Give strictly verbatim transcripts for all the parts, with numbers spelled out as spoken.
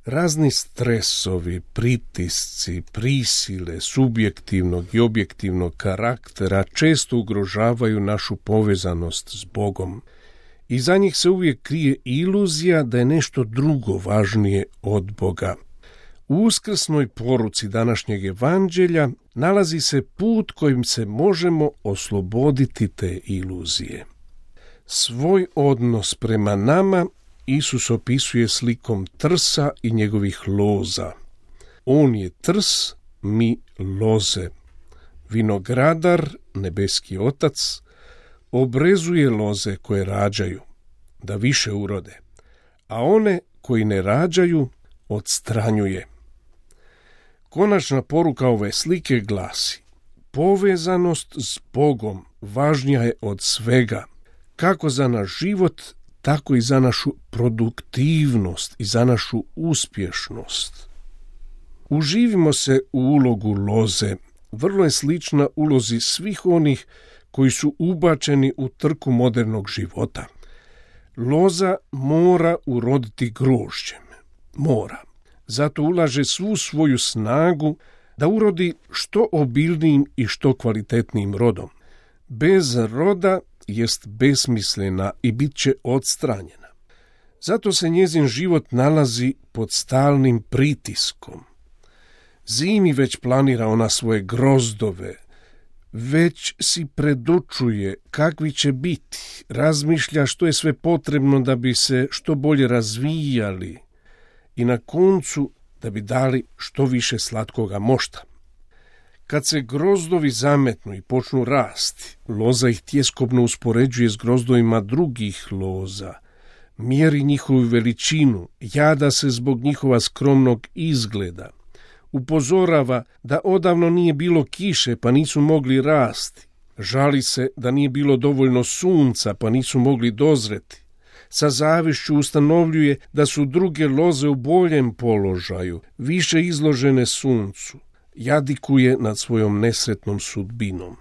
Razni stresovi, pritisci, prisile subjektivnog i objektivnog karaktera često ugrožavaju našu povezanost s Bogom. I za njih se uvijek krije iluzija da je nešto drugo važnije od Boga. U uskrsnoj poruci današnjeg evanđelja nalazi se put kojim se možemo osloboditi te iluzije. Svoj odnos prema nama Isus opisuje slikom trsa i njegovih loza. On je trs, mi loze. Vinogradar, nebeski Otac, obrezuje loze koje rađaju, da više urode, a one koji ne rađaju odstranjuje. Konačna poruka ove slike glasi: povezanost s Bogom važnija je od svega, kako za naš život, tako i za našu produktivnost i za našu uspješnost. Uživimo se u ulogu loze, vrlo je slična ulozi svih onih koji su ubačeni u trku modernog života. Loza mora uroditi grožđem, mora. Zato ulaže svu svoju snagu da urodi što obilnijim i što kvalitetnijim rodom. Bez roda jest besmislena i bit će odstranjena. Zato se njezin život nalazi pod stalnim pritiskom. Zimi već planira ona svoje grozdove, već si predočuje kakvi će biti, razmišlja što je sve potrebno da bi se što bolje razvijali i na koncu da bi dali što više slatkoga mošta. Kad se grozdovi zametnu i počnu rasti, loza ih tjeskobno uspoređuje s grozdovima drugih loza, mjeri njihovu veličinu, jada se zbog njihova skromnog izgleda, upozorava da odavno nije bilo kiše pa nisu mogli rasti, žali se da nije bilo dovoljno sunca pa nisu mogli dozreti, sa zavišću ustanovljuje da su druge loze u boljem položaju, više izložene suncu, jadikuje nad svojom nesretnom sudbinom.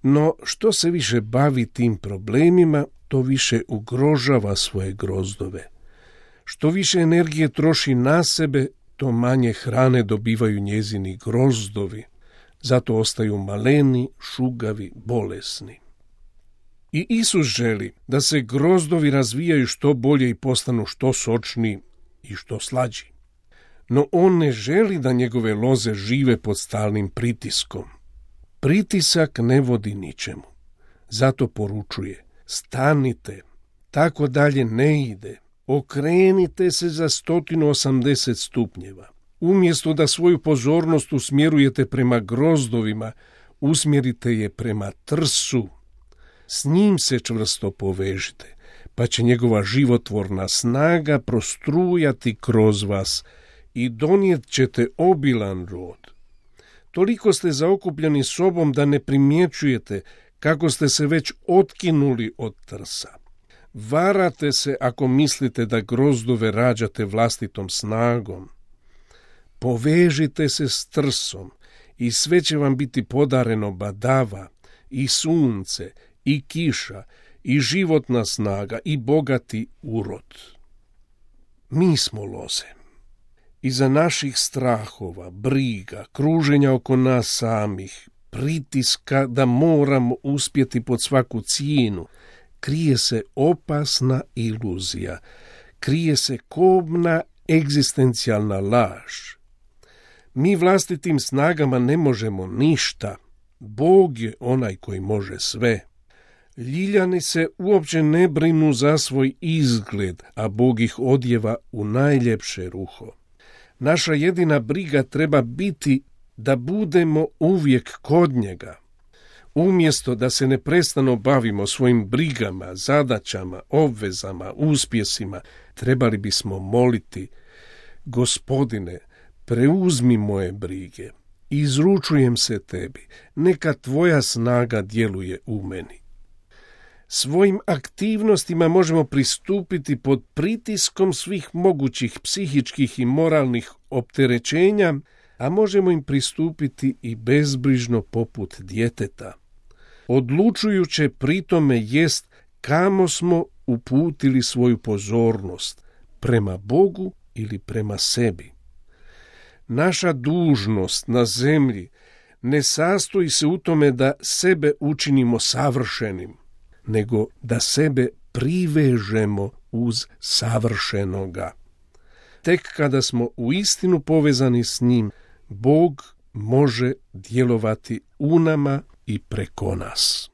No što se više bavi tim problemima, to više ugrožava svoje grozdove. Što više energije troši na sebe, to manje hrane dobivaju njezini grozdovi, zato ostaju maleni, šugavi, bolesni. I Isus želi da se grozdovi razvijaju što bolje i postanu što sočniji i što slađi. No on ne želi da njegove loze žive pod stalnim pritiskom. Pritisak ne vodi ničemu. Zato poručuje: stanite, tako dalje ne ide. Okrenite se za sto osamdeset stupnjeva. Umjesto da svoju pozornost usmjerujete prema grozdovima, usmjerite je prema trsu. S njim se čvrsto povežite, pa će njegova životvorna snaga prostrujati kroz vas i donijet ćete obilan rod. Toliko ste zaokupljeni sobom da ne primjećujete kako ste se već otkinuli od trsa. Varate se ako mislite da grozdove rađate vlastitom snagom. Povežite se s trsom i sve će vam biti podareno badava i sunce i kiša i životna snaga i bogati urod. Mi smo loze. Iza naših strahova, briga, kruženja oko nas samih, pritiska da moramo uspjeti pod svaku cijenu, krije se opasna iluzija, krije se kobna egzistencijalna laž. Mi vlastitim snagama ne možemo ništa. Bog je onaj koji može sve. Ljiljani se uopće ne brinu za svoj izgled, a Bog ih odjeva u najljepše ruho. Naša jedina briga treba biti da budemo uvijek kod njega. Umjesto da se neprestano bavimo svojim brigama, zadaćama, obvezama, uspjesima, trebali bismo moliti: Gospodine, preuzmi moje brige, izručujem se tebi, neka tvoja snaga djeluje u meni. Svojim aktivnostima možemo pristupiti pod pritiskom svih mogućih psihičkih i moralnih opterećenja, a možemo im pristupiti i bezbrižno poput djeteta. Odlučujuće pri tome jest kamo smo uputili svoju pozornost, prema Bogu ili prema sebi. Naša dužnost na zemlji ne sastoji se u tome da sebe učinimo savršenim, nego da sebe privežemo uz savršenoga. Tek kada smo uistinu povezani s njim, Bog može djelovati u nama i preko nas.